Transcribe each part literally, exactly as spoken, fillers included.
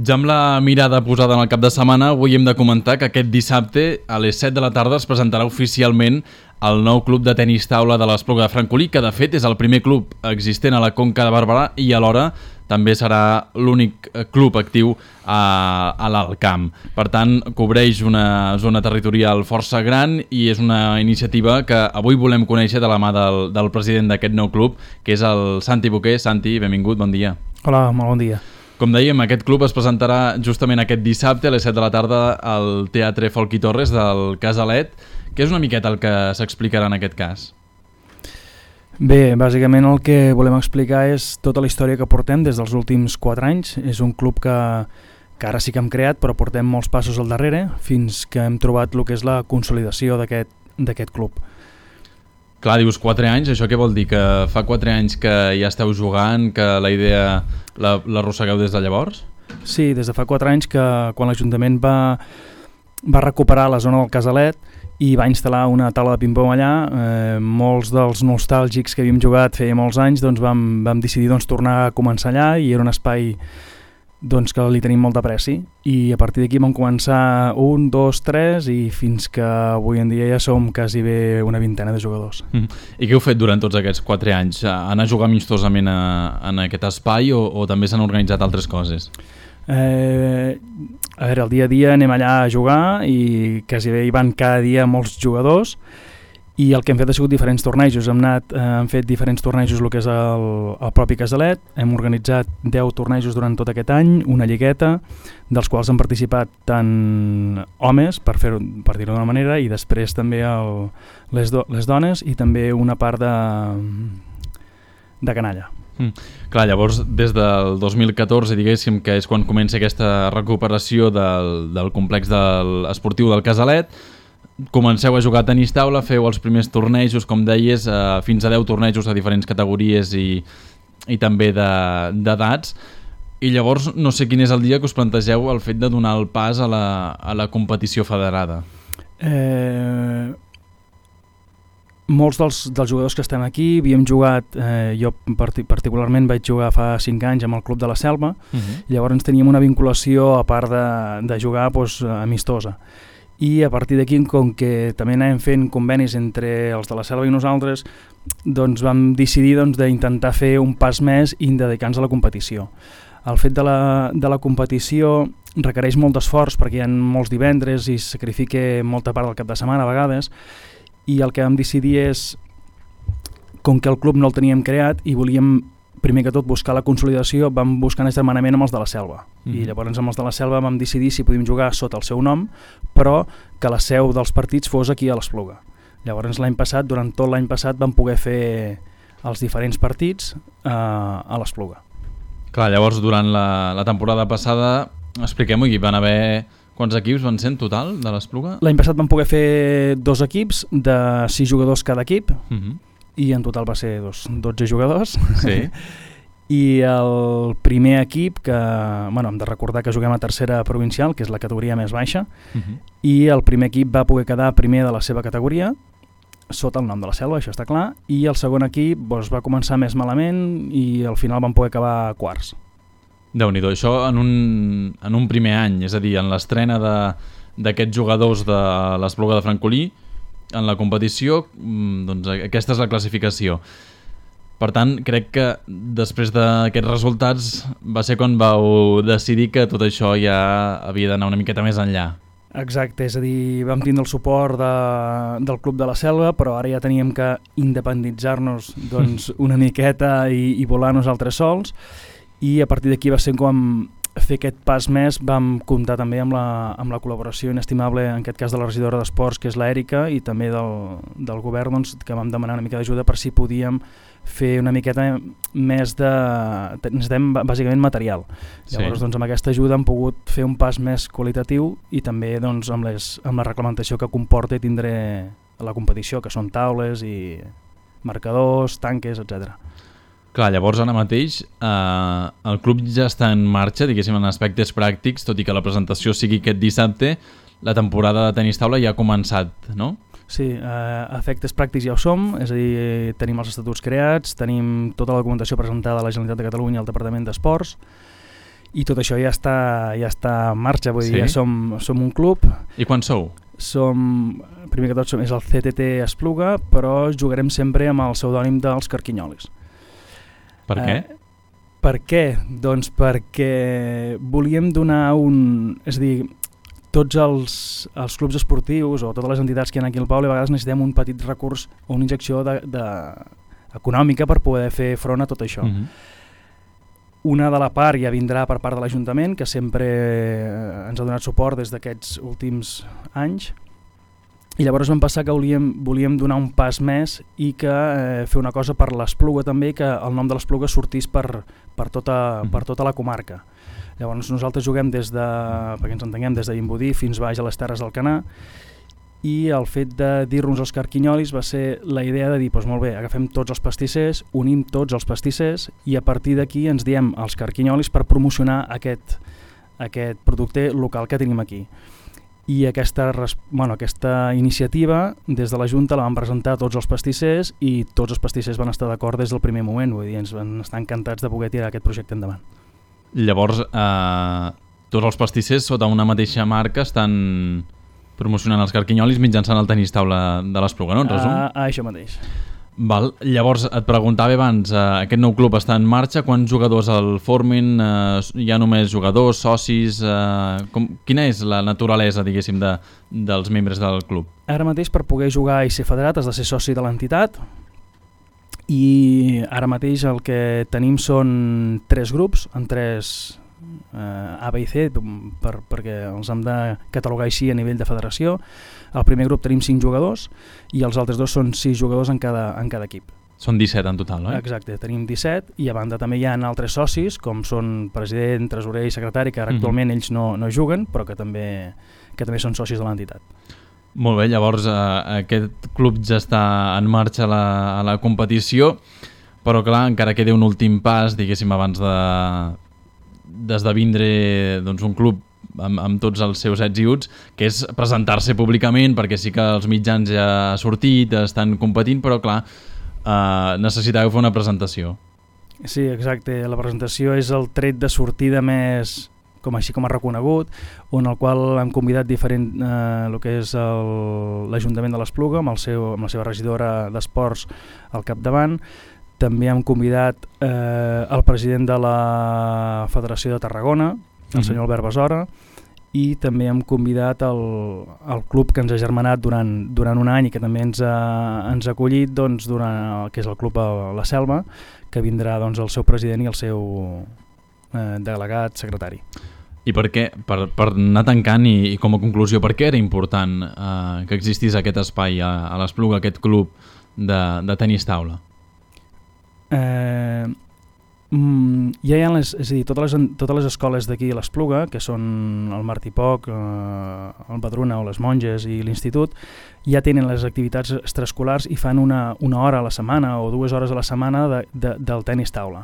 Ja amb la mirada posada en el cap de setmana, avui hem de comentar que aquest dissabte a les set de la tarda es presentarà oficialment el nou club de tenis taula de l'Espluga de Francolí, que de fet és el primer club existent a la Conca de Barberà i alhora també serà l'únic club actiu a, a l'Alt Camp. Per tant, cobreix una zona territorial força gran i és una iniciativa que avui volem conèixer de la mà del, del president d'aquest nou club, que és el Santi Boquer. Santi, benvingut, bon dia. Hola, molt bon dia. Com dèiem, aquest club es presentarà justament aquest dissabte a les set de la tarda al Teatre Folchi Torres del Casalet. Què és una miqueta el que s'explicarà en aquest cas? Bé, bàsicament el que volem explicar és tota la història que portem des dels últims quatre anys. És un club que, que ara sí que hem creat, però portem molts passos al darrere fins que hem trobat el que és la consolidació d'aquest d'aquest club. Clar, dius quatre anys, això què vol dir? Que fa quatre anys que ja esteu jugant, que la idea l'arrossegueu des de llavors? Sí, des de fa quatre anys que quan l'Ajuntament va, va recuperar la zona del Casalet i va instal·lar una taula de ping-pong allà, eh, molts dels nostàlgics que havíem jugat feia molts anys doncs vam, vam decidir doncs, tornar a començar allà i era un espai doncs, que li tenim molt d'apreci i a partir d'aquí vam començar un, dos, tres i fins que avui en dia ja som quasi bé una vintena de jugadors. Mm. I què heu fet durant tots aquests quatre anys? Anar a jugar amistosament a, en aquest espai o, o també s'han organitzat altres coses? Eh, a veure, el dia a dia anem allà a jugar i quasi bé hi van cada dia molts jugadors i el que hem fet ha sigut diferents tornejos. Hem, anat, eh, hem fet diferents tornejos el que és el, el propi Casalet, hem organitzat deu tornejos durant tot aquest any, una lligueta, dels quals han participat tant homes, per fer-ho per dir-ho d'una manera, i després també el, les, do, les dones i també una part de, de canalla. Mm. Clar, llavors des del dos mil catorze, diguéssim, que és quan comença aquesta recuperació del, del complex del, esportiu del Casalet, comenceu a jugar a tenis taula, feu els primers tornejos, com deies, eh, fins a deu tornejos a diferents categories i, i també d'edats, i llavors no sé quin és el dia que us plantegeu el fet de donar el pas a la, a la competició federada. Eh... Molts dels, dels jugadors que estem aquí havíem jugat, eh, jo partic particularment vaig jugar fa cinc anys amb el Club de la Selva, uh-huh. Llavors teníem una vinculació a part de, de jugar doncs, amistosa. I a partir d'aquí, com que també anàvem fent convenis entre els de la Selva i nosaltres, doncs vam decidir doncs, d'intentar fer un pas més i dedicar-nos a la competició. El fet de la, de la competició requereix molt d'esforç perquè hi ha molts divendres i sacrifica molta part del cap de setmana a vegades, i el que vam decidir és, com que el club no el teníem creat i volíem primer que tot buscar la consolidació, vam buscar un germanament amb els de la Selva. Mm. I llavors amb els de la Selva vam decidir si podíem jugar sota el seu nom, però que la seu dels partits fos aquí a l'Espluga. Llavors l'any passat, durant tot l'any passat, vam poder fer els diferents partits eh, a l'Espluga. Clar, llavors durant la, la temporada passada, expliquem-ho, hi van haver... Quants equips van ser en total de l'Espluga? L'any passat vam poder fer dos equips de sis jugadors cada equip, uh-huh. I en total va ser dos, dotze jugadors. Sí. I el primer equip, que bueno, hem de recordar que juguem a tercera provincial, que és la categoria més baixa, uh-huh. I el primer equip va poder quedar primer de la seva categoria, sota el nom de la Selva, això està clar, i el segon equip doncs, va començar més malament i al final van poder acabar quarts. Déu-n'hi-do, això en un, en un primer any, és a dir, en l'estrena d'aquests jugadors de l'Espluga de Francolí, en la competició, doncs aquesta és la classificació. Per tant, crec que després d'aquests resultats va ser quan vau decidir que tot això ja havia d'anar una miqueta més enllà. Exacte, és a dir, vam tindre el suport de, del Club de la Selva, però ara ja teníem que independitzar-nos doncs, una miqueta i, i volar nosaltres sols, i a partir d'aquí va ser com fer aquest pas més, vam comptar també amb la, amb la col·laboració inestimable, en aquest cas de la regidora d'Esports, que és l'Èrica, i també del, del govern, doncs, que vam demanar una mica d'ajuda per si podíem fer una miqueta més de... necessitem bàsicament material. Llavors, sí. Doncs, amb aquesta ajuda hem pogut fer un pas més qualitatiu i també doncs, amb, les, amb la reglamentació que comporta tindre la competició, que són taules i marcadors, tanques, etcètera. Clar, llavors ara mateix eh, el club ja està en marxa, diguéssim, en aspectes pràctics, tot i que la presentació sigui aquest dissabte, la temporada de tenis taula ja ha començat, no? Sí, eh, efectes pràctics ja ho som, és a dir, tenim els estatuts creats, tenim tota la documentació presentada a la Generalitat de Catalunya al Departament d'Esports i tot això ja està, ja està en marxa, vull sí? dir, ja som, som un club. I quan sou? Som, primer que tot som, és el C T T Espluga, però jugarem sempre amb el pseudònim dels Carquinyolis. Per què? Eh, per què? Doncs perquè volíem donar un... És a dir, tots els, els clubs esportius o totes les entitats que hi ha aquí al poble a vegades necessitem un petit recurs o una injecció de, de, econòmica per poder fer front a tot això. Mm-hmm. Una de la part ja vindrà per part de l'Ajuntament, que sempre ens ha donat suport des d'aquests últims anys, i llavors vam passar que volíem, volíem donar un pas més i que eh, fer una cosa per l'Espluga també, que el nom de l'Espluga sortís per, per, tota, per tota la comarca. Llavors nosaltres juguem des de, perquè ens entenguem, des de Vimbodí fins baix a les Terres del Canà, i el fet de dir-nos els Carquinyolis va ser la idea de dir, doncs molt bé, agafem tots els pastissers, unim tots els pastissers i a partir d'aquí ens diem els Carquinyolis per promocionar aquest, aquest producte local que tenim aquí. I aquesta, bueno, aquesta iniciativa des de la Junta la van presentar a tots els pastissers i tots els pastissers van estar d'acord des del primer moment, vull dir, ens van estar encantats de poder tirar aquest projecte endavant. Llavors, eh, tots els pastissers sota una mateixa marca estan promocionant els Carquinyolis mitjançant el tenis taula de l'Espluga, no? En resum? Uh, això mateix. Val. Llavors, et preguntava abans, eh, aquest nou club està en marxa, quants jugadors el formin? Eh, hi ha només jugadors, socis? Eh, com, quina és la naturalesa, diguéssim, de, dels membres del club? Ara mateix, per poder jugar i ser federat, has de ser soci de l'entitat, i ara mateix el que tenim són tres grups, en tres Uh, A, B i C, per, perquè els hem de catalogar així a nivell de federació. Al primer grup tenim cinc jugadors i els altres dos són sis jugadors en cada, en cada equip. Són disset en total, no? Exacte, tenim disset i a banda també hi ha altres socis com són president, tresorer i secretari, que ara uh-huh. actualment ells no, no juguen però que també, que també són socis de l'entitat. Molt bé, llavors eh, aquest club ja està en marxa a la, a la competició, però clar, encara queda un últim pas, diguéssim, abans de d'esdevindre doncs, un club amb, amb tots els seus ets i uts, que és presentar-se públicament, perquè sí que els mitjans ja ha sortit, estan competint, però clar, eh, necessitàveu fer una presentació. Sí, exacte, la presentació és el tret de sortida més, com així com ha reconegut, on el qual hem convidat diferent, eh, el que és l'Ajuntament de l'Espluga, amb, el seu, amb la seva regidora d'Esports al capdavant. També hem convidat eh, el president de la Federació de Tarragona, el senyor Albert Besora, i també hem convidat el, el club que ens ha germanat durant, durant un any i que també ens ha, ens ha acollit, doncs, durant, que és el club a la Selva, que vindrà doncs, el seu president i el seu eh, delegat secretari. I per què, per, per anar tancant i, i com a conclusió, per què era important eh, que existís aquest espai a, a l'Espluga, aquest club de, de tenis taula? Eh, mm, ja hi ha les, és a dir, totes les, totes les escoles d'aquí a l'Espluga, que són el Martí Poc, eh, el Badruna o les Monges i l'Institut, ja tenen les activitats extraescolars i fan una, una hora a la setmana o dues hores a la setmana de, de, del tenis taula.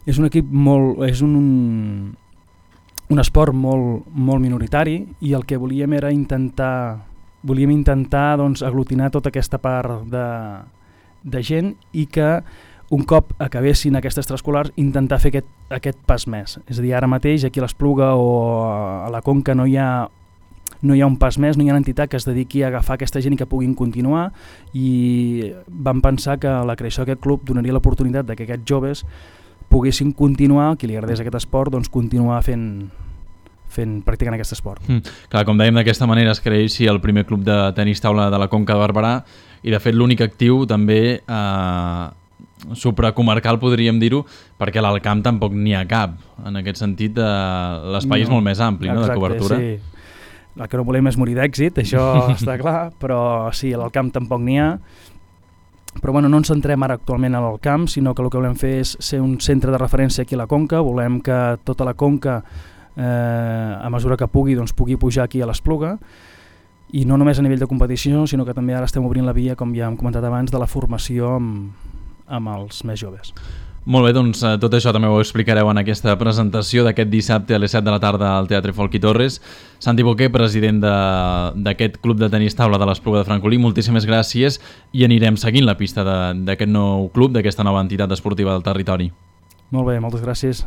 És un equip molt, és un, un esport molt, molt minoritari i el que volíem era intentar, volíem intentar doncs, aglutinar tota aquesta part de, de gent i que un cop acabessin aquestes extraescolars intentar fer aquest, aquest pas més. És a dir, ara mateix aquí a l'Espluga o a la Conca no hi ha, no hi ha un pas més, no hi ha una entitat que es dediqui a agafar aquesta gent i que puguin continuar, i vam pensar que la creació d'aquest club donaria l'oportunitat que aquests joves poguessin continuar, qui li agradés aquest esport, doncs continuar fent, fent practicant aquest esport. Mm, clar, com dèiem, d'aquesta manera es creixi el primer club de tenis taula de la Conca de Barberà i de fet l'únic actiu també eh, supracomarcal, podríem dir-ho, perquè a l'Alcamp tampoc n'hi ha cap. En aquest sentit, eh, l'espai no, és molt més ampli, no, de cobertura. Sí. El que no volem és morir d'èxit, això està clar, però sí, a l'Alcamp tampoc n'hi ha. Però bueno, no ens centrem ara actualment a l'Alcamp, sinó que el que volem fer és ser un centre de referència aquí a la Conca. Volem que tota la Conca, eh, a mesura que pugui, doncs, pugui pujar aquí a l'Espluga, i no només a nivell de competició, sinó que també ara estem obrint la via, com ja hem comentat abans, de la formació amb, amb els més joves. Molt bé, doncs tot això també ho explicareu en aquesta presentació d'aquest dissabte a les set de la tarda al Teatre Folch i Torres. Santi Boquer, president d'aquest club de tenis taula de l'Espluga de Francolí, moltíssimes gràcies i anirem seguint la pista d'aquest nou club, d'aquesta nova entitat esportiva del territori. Molt bé, moltes gràcies.